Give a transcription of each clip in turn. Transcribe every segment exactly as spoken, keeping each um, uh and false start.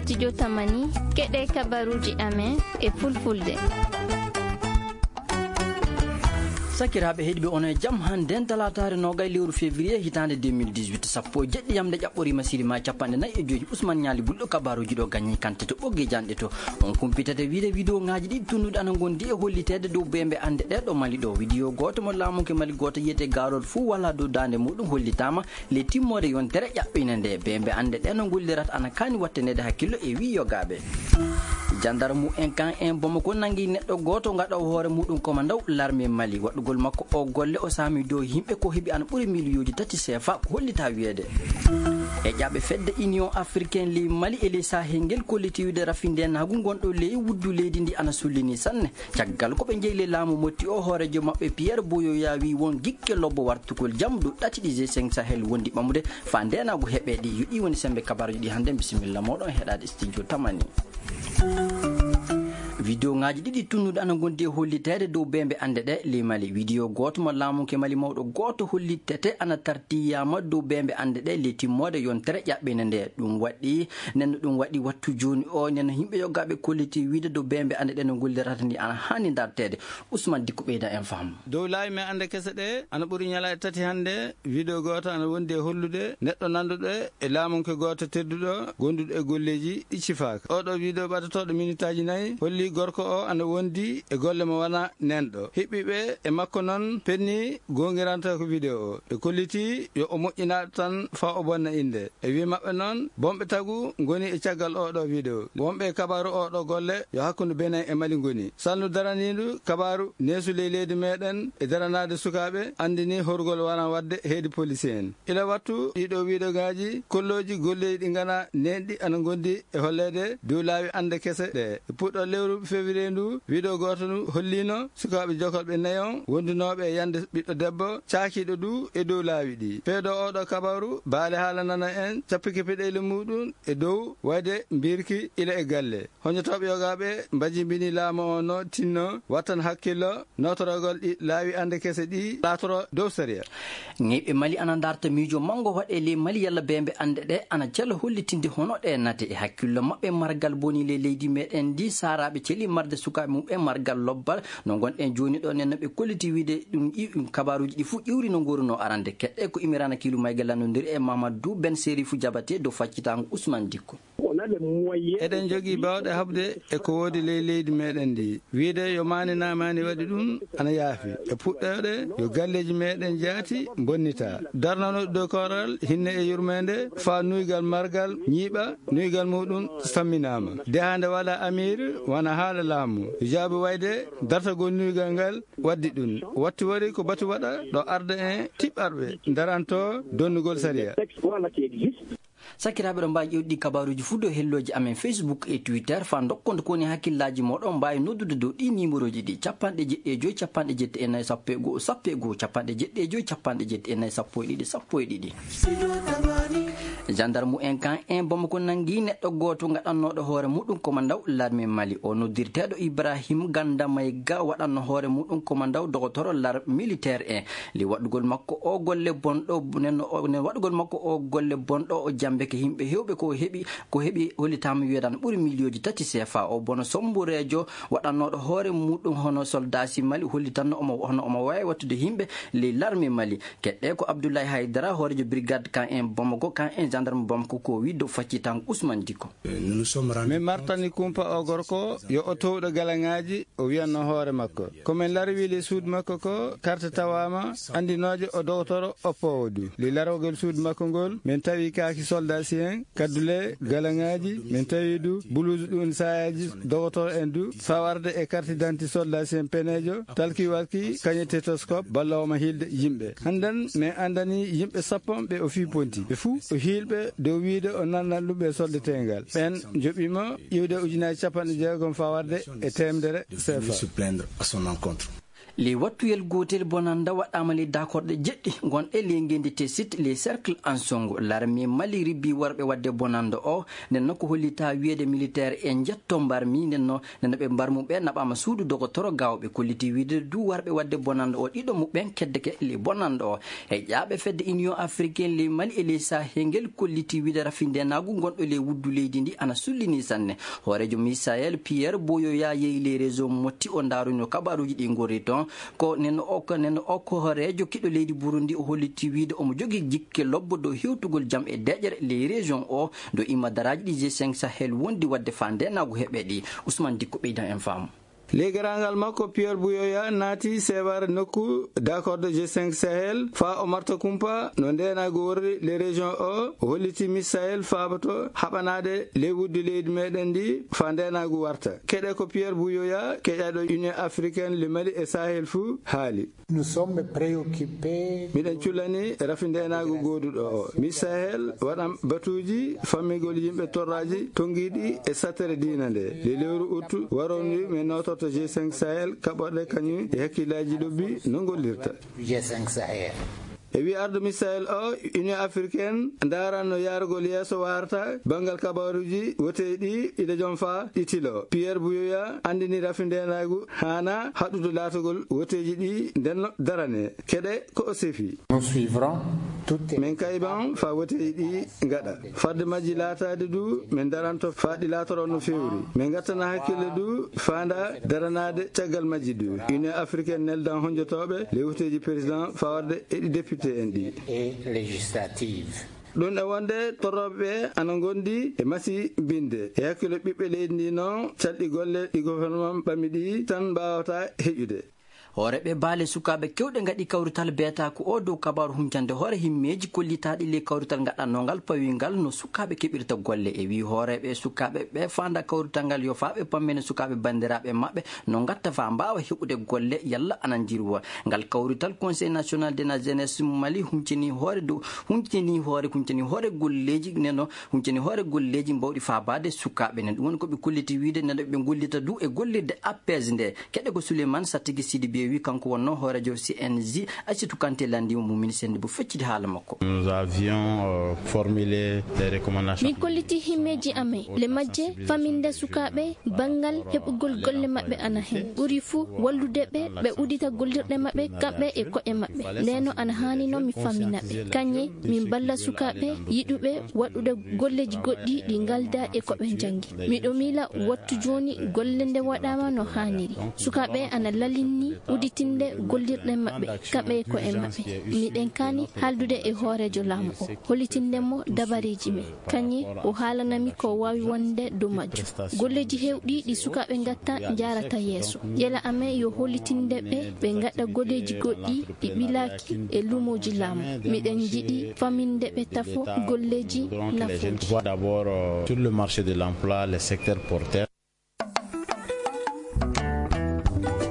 Studio Tamani, keɗe kabaruji amen e fulfulde. Sakiraaɓe heɗiɓe, onon e jam. Hannden talaataare noogay lewru février hitaande deux mille dix-huit, sappo e jeɗɗi yamde ƴaɓɓoriima sirima capanɗe nayi e joyi. Usman Ñaali Bulɗo kabaruji ɗo gañi kante to ɓogge janɗe to. On kumpitata wiide vidéo ŋaaji ɗiɗi tunnuɗi ana ngondi e holliteede dow bembe annde ɗe ɗo Mali ɗo. Vidéo gooto mo laamunke Mali gooto yiyete Garoot fuu wala dow daande muɗum hollitaama le timmoode yontere ƴaɓɓine nde. Bembe annde ɗe no ngollirata ana kaani watteneede hakkillo e wii yogaaɓe. Jandarmu en kan en Bamako nangi neɗɗo gooto ngaɗa o hoore muɗum komandaw larme Mali. Waɗugol makko o golle o saami dow yimɓe ko heɓi ana ɓuri miliyooji tati seefa ko hollita wiyeede. E ƴaɓe fedde Union Africaine ley Mali e ley Sahel ngel kolliti wiide rafindenaagu ngonɗo ley wuddu leydi ndi ana sullini sanne. Caggal ko ɓe njeyi ley laamu motti o, hooreejo maɓɓe Pierre Buyoya wi won gikke lobbo wartugol jam dow ɗati ɗi G cinq Sahel wondi ɓamude faa ndeenaagu heɓe ɗi. Yo ɗi woni sembe kabaruji ɗi hannde. Bisimilla mooɗon heɗaade studio Tamani. Vidéo ŋaaji ɗiɗi tunnuɗi ana ngondi e holliteede dow bembe annde ɗe ley Mali. Vidéo gooto mo laamunke Mali mawɗo gooto hollitete ana tartiyaama dow bembe annde ɗe ley timmoode yontere ƴaɓɓine nde. Ɗum waɗi, nenno ɗum waɗi wattu jooni o, nenno yimɓe yogaaɓe kolliti wiide dow bembe annde ɗe no ngollirata ni ana haani darteede. Usman Dikko ɓeyda en faham. Dow laawi men annde kese ɗe, ana ɓuri ñalaaɗe tati hannde, vidéo gooto ana wondi e hollude neɗɗo nanduɗo e laamunke gooto tedduɗo, gonduɗo e golleeji ɗi cifaaka. Oɗo vidéo ɓadotooɗo minitaaji nayi holli gorko o ana wondi e golle mo wana nenɗo. Hiɓɓiɓe e makko non penni goongiranta ko vidéo o. Ɓe kolliti yo o moƴƴinaɗo tan faa o bonna innde. E wii maɓɓe noon, bonɓe tagu ngoni e caggal oɗo vidéo. Wonɓe e kabaaru oɗo golle yo hakkunde Benin e Mali ngoni. Salndu daraniindu kabaaru neesu ley leydi meɗen e daranaade sukaaɓe anndini horgol waran waɗde heedi polisi en. Ila wattu ɗiɗo vidéo ŋaaji kollooji golleeji ɗi ngana neenɗi ana ngondi e holleede dow laawi annde kese ɗe. E puɗɗo lewru février ndu, vidéo gooto ndu holliino sukaaɓe jokolɓe nayon wondunooɓe e yande ɓiɗɗo debbo caakiiɗo du e dow laawi ɗi. Feedo oɗo kabaru, baale haalanana en cappike peɗeeli muɗum e dow wayde mbirki ila e galle. Hoñotooɓe yogaaɓe mbajimbini laamu o no tinno wattan hakkillo nootorogol ɗi laawi annde kese ɗi laatoro dow sariya. Ŋeyɓe Mali ana ndarta miijo manngo waɗe ley Mali yalla bembe annde ɗe ana cela hollitinde hono ɗe nate e hakkillo maɓɓe margal boni ley leydi meɗen ndi. Saaraaɓe celi marde sukaaɓe mum e margal lobbal no ngonɗen jooni ɗo nen no ɓe kolliti wiide ɗum iw-, ɗum kabaruuji ɗi fuu ƴiwri no ngoruno arande. Keɗɗe ko Imirana Kilu Mayga lannondiri e Mamadou Ben Serifu Jabate dow faccitango Ousmane Dikko. Eɗen njogii baawɗe haɓde e ko woodi ley leydi meɗen ndi. Wiide yo maani na maani waɗi ɗum ana yaafi. E puɗɗoɗe yo galleeji meɗen jaati bonnita. Darnano dow koral hinne e yurmeende faa nuygal margal ñiiɓa, nuygal muɗum samminaama. Dehaande wala amir wana haala laamu. Jaabi wayde dartagol nuygal ngal waddi ɗum. Watti wari ko batu waɗa ɗo arda en tiɓɓarɓe daranto donnugol sariya. Sakiraaɓe, ɗo mbaawi ƴeewde ɗi kabaaruuji fuu dow hellooji amen Facebook e Twitter. Faa ndokkon ko woni hakkillaaji mooɗon, mbaawi noddude dow ɗi niimorooji ɗi, capanɗe jeɗɗi e joy, capanɗe jeɗɗi e nayi, sappo e goo, sappo e goo, capanɗe jeɗɗi e joy, capanɗe jeɗɗi e nayi, sappo e ɗiɗi, sappo e ɗiɗi. Jandarmu en kan en Bamako nangi neɗɗo gooto ngaɗannooɗo hoore muɗum komandaw larme Mali. O noddirteeɗo Ibrahim Ganda Mayga waɗanno hoore muɗum komandaw dogotoro lar militaire en. Li waɗugol makko o golle bonɗo, nen o, nen waɗugol makko o golle bonɗo, o jambeke yimɓe heewɓe ko heɓi, ko heɓi hollitaama wiyeede ana ɓuri miliyooji tati C F A. O bono sombureejo waɗannooɗo hoore muɗum hono soldaasi Mali hollitanno omo, hono omo waawi wattude yimɓe ley larme Mali. Keɗɗe ko Abdoulaye Haydara, hooreejo brigade kan en Bamako, kan en gendarme Bamako ko wi dow faccitango Ousmane Dikko. Min martani kumpa o gorko yo o towɗo galaŋaaji. O wiyanno hoore makko, ko min larwi ley suudu makko ko karte tawaama anndinooje o dogotoro oppoowo du. Ley larogol suudu makko ngol, min tawi kaaki soldaasi en, kaddule, galaŋaaji, min tawi du buluusu ɗum saayaaji dogotoro en du, faa warde e karte denti soldaasi en peneejo, talki walki, kañe stethoscope, balloowo ma hiilde yimɓe. Hannden min anndani yimɓe sappo ɓe o fii ponti. Ɓe fuu o hiilɓe dow wiide o nannan ɗum ɓe solde teengal. Ɓen joɓiima iwde ujunaaji capanɗe jeegom faa warde e teemedere C F A. Se plaindre à son encontre. Ley wattuyel gootel, bonannda waɗaama ley daakorɗe jeɗɗi gonɗe ley ngeenndi Tessit, ley cercle Ansongo. Larme Mali ribbi worɓe waɗde bonannda o. Nden noon ko hollita wiyeede militaire e njetto mbarmi. Nden noon, nden no ɓe mbarmu ɓe naɓaama suudu dogotoro gaawɓe. Kolliti wiide du warɓe waɗde bonannda o, ɗiɗo muɓɓen keddeke ley bonannda o. E ƴaaɓe fedde Union Africaine ley Mali e ley Sahel ngel kolliti wiide rafindeenaagu gonɗo ley wuddu leydi ndi ana sullini sanne. Hooreejo Misael Pierre Boyoya yehi ley région Motti, o ndaarunoo kabaaruuji ɗi ngorri toon. Ko nen o, ko nen o ko hooreejo kiɗo leydi Burundi, o holliti wiide omo jogii jikke lobbo dow hewtugol jam e deƴƴere ley région o, dow imma daraaji ɗi G cinq Sahel wondi waɗde faa ndeenaagu heɓe ɗi. Ousmane Dikko ɓeydan en faamu. Ley garaangal makko, Pierre Buyoya naati seebaare nokku d'accord de G cinq Sahel faa o marta kumpa no ndeenaagu worri ley région o. O holliti Misael faaboto haɓanaade ley wuddu leydi meɗen ndi faa ndeenaagu warta. Keɗe ko Pierre Buyoya, keƴaaɗo Union Africaine le Mali e Sahel fuu haali. Nous sommes préoccupés. Miɗen cullani rafi ndeenaagu gooduɗo o. Misael waɗan batuuji fammigol yimɓe torraaji tonngiiɗi e sattere diina nde. Le lewru uttu warondi, min nootorto G cinq Sahel, kaɓorɗe kañum e hakkillaaji lobbi no ngollirta. G cinq Sahel. E wi ardo Misael o, Union Africaine ndaaran no yaarugol yeeso waarata banngal kabaaruuji woteyɗi ila jom faa ɗi tilo. Pierre Buyoya anndini rafi ndeenaagu haana haɗude laatogol woteeji ɗi ndenno darane. Keɗe ko o sefi. Nous suivrons toutes. Min kayban faa woteeji ɗi ngaɗa. Fadde majji laataade du, min daranto faa ɗi laatoro no feewri. Min ngattana hakkille du faanda daranaade caggal majji du. Union Africaine neldan honjotooɓe ley woteeji président faa warde e ɗi député en ɗi. Et législatives. Ɗum e wonde torrooɓe ɓe ana ngondi e masi binde. E hakkilo ɓiɓɓe leydi ndi noon, calɗi golle ɗi gouvernement ɓami ɗi tan mbaawata heƴude. Hooreeɓe baale sukaaɓe keewɗe ngaɗi kawrital beetaaku o dow kabaaru huncande hoore himmeeji kollitaaɗi ley kawrital ngaɗannoo ngal pawii ngal no sukaaɓe keɓirta golle. E wii hooreeɓe sukaaɓe ɓe faanda kawrital ngal yo faa ɓe pammina sukaaɓe banndiraaɓe maɓɓe no ngatta faa mbaawa heɓude golle yalla ana njirwa. Ngal kawrital Conseil National de la Jeunesse Mali huncini hoore dow, huncini hoore, huncini hoore golleeji neno, huncini hoore golleeji mbawɗi faabaade sukaaɓe nen. Ɗum woni ko ɓe kolliti wiide neno ɓe ngollita du e gollirde A P S nde. Keɗe ko Souleymane Satigi Sidibé wi, kanko wonnoo hooreejo C N J, Aïssatou Kanté lanndii mo, Mumini Sennde bo feccidi haala makko. Nous avions, euh, formulé des recommandations. Min kolliti himmeeji amen, le majje faminde sukaaɓe banngal heɓugol golle maɓɓe ana heen. Ɓuri fuu wallude ɓe, ɓe uddita gollirɗe maɓɓe kamɓe e ko'e maɓɓe. Ndeno ana haani noon mi famina ɓe. Kañe min mballa sukaaɓe yiɗuɓe waɗude golleeji goɗɗi ɗi ngalda e ko ɓe njanngi. Miɗo miila wattu jooni golle nde waɗaama no haaniri. Sukaaɓe ana lalinni udditinde gollirɗe maɓɓe, kamɓe e ko'e maɓɓe. Miɗen kaani haaldude e hooreejo laamu o, hollitinde mo dabareeji men. Kañe o haalanami ko waawi wonde dow majjum. Golleeji heewɗi ɗi sukaaɓe ngatta njaarata yeeso. Yela amen yo hollitinde ɓe, ɓe ngaɗa golleeji goɗɗi ɗi ɓilaaki e luumooji laamu. Miɗen njiɗi faminde ɓe tafo golleeji nafooji. D'abord, euh, sur le marché de l'emploi, les secteurs porteurs.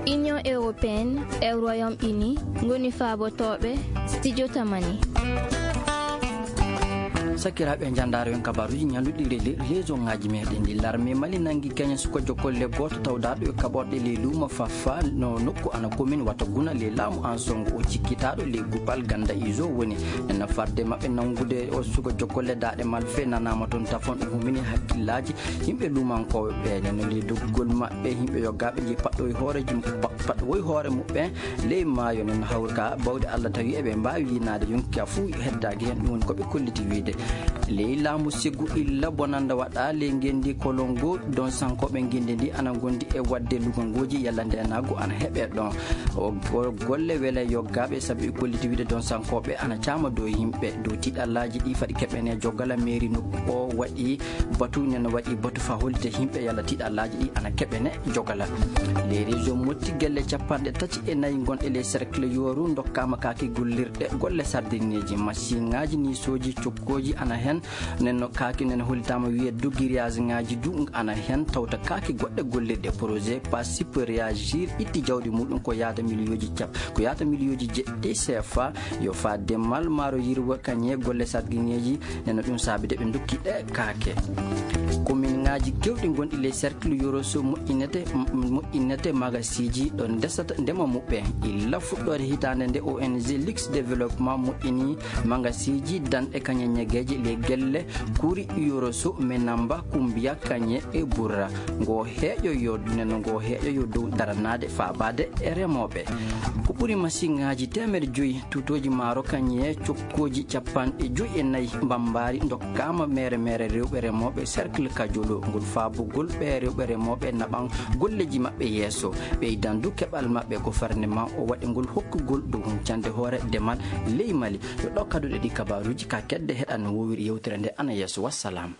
Union européenne e Royaume-Uni ngoni faabotooɓe studio Tamani. Sakiraaɓe, e njanndaaro en kabaaruuji ñalluɗi le-, le-, région ŋaaji meɗen ɗi. Larme Mali nanngi keñen suka jokolle gooto tawdaaɗo e kaɓorɗe ley luumo Fafa no nokku ana commune Wataguna ley laamu Ansongo. O cikkitaaɗo ley guppal ganda iso woni. Nena farde maɓɓe nanngude o suka jokolle daaɗe malfe nanaama toon tafon, ɗum humini hakkillaaji yimɓe luumankooɓe ɓe. Nena ley doggol maɓɓe yimɓe yoggaaɓe nji paɗɗoy hoore jum-, pa-, paɗɗoy hoore muɓɓen ley maayo. Nena hawri ka bawɗe Allah tawi eɓe mbaawi yinaade yonki ka fuu heddaaki heen. Ɗum woni ko ɓe kolliti wiide. Ley laamu Segu illa bonannda waɗa ley ngenndi Kolongo, don sankooɓe ngenndi ndi ana ngondi e waɗde lugangooji yalla ndeenaagu ana heɓe ɗon. O go-, golle wele yoggaaɓe sabu e kolliti wiide don sankooɓe ana caama dow yimɓe dow tiɗallaaji ɗi faɗi keɓene jogala. Mairie nokku o waɗi batu, nena waɗi batu faa hollita yimɓe yalla tiɗallaaji ɗi ana keɓene jogala. Ley région Motti gelle capanɗe tati e nayi gonɗe ley cercle Yooru ndokkaama kaaki gollirɗe golle sardineeji, masiŋaaji, niisooji, cokkooji ana heen. Nenno kaake nene hollitaama wiye dogiriyaas ŋaaji du ana heen tawta kaake goɗɗe gollirɗe projet pas super réagir itti jawdi muɗum ko yaata miliyooji cap ko yaata miliyooji jeɗɗi cfa. Yo fa demal maaro yirwa kañe golle sargiŋeeji neno ɗum saabide ɓe dokki ɗe kaake. Komin ŋaaji kewɗi gonɗi ley cercle yoroso moƴƴinete moƴƴinete magasiji ɗo ndesata ndema muɓɓe illa fuɗɗoode hitaande nde ong lux développement moƴƴini magasiji danɗe kañe ñegeeji ley gelle kuri yoroso menamba kumbiya kañe e burra ngo heeƴo yo neno ngo heeƴo yo dow daranaade faabaade e remooɓe. Ko ɓuri masiŋaaji teemedde joyi tutooji maaro kañe cokkooji capanɗe joyi e nayi mbambaari ndokkaama mere mere rewɓe remooɓe cercle kajolo ngol faabugol ɓe rewɓe remooɓe naɓan golleji maɓɓe yeeso ɓeydan du keɓal maɓɓe gofarnema o waɗi ngol hokkugol dow huncande hoore demal ley mali. Yo ɗo kaduɗe ɗi kabaruuji ka kedde heɗan no wowiri yewtere nde ana yeeso wassalam.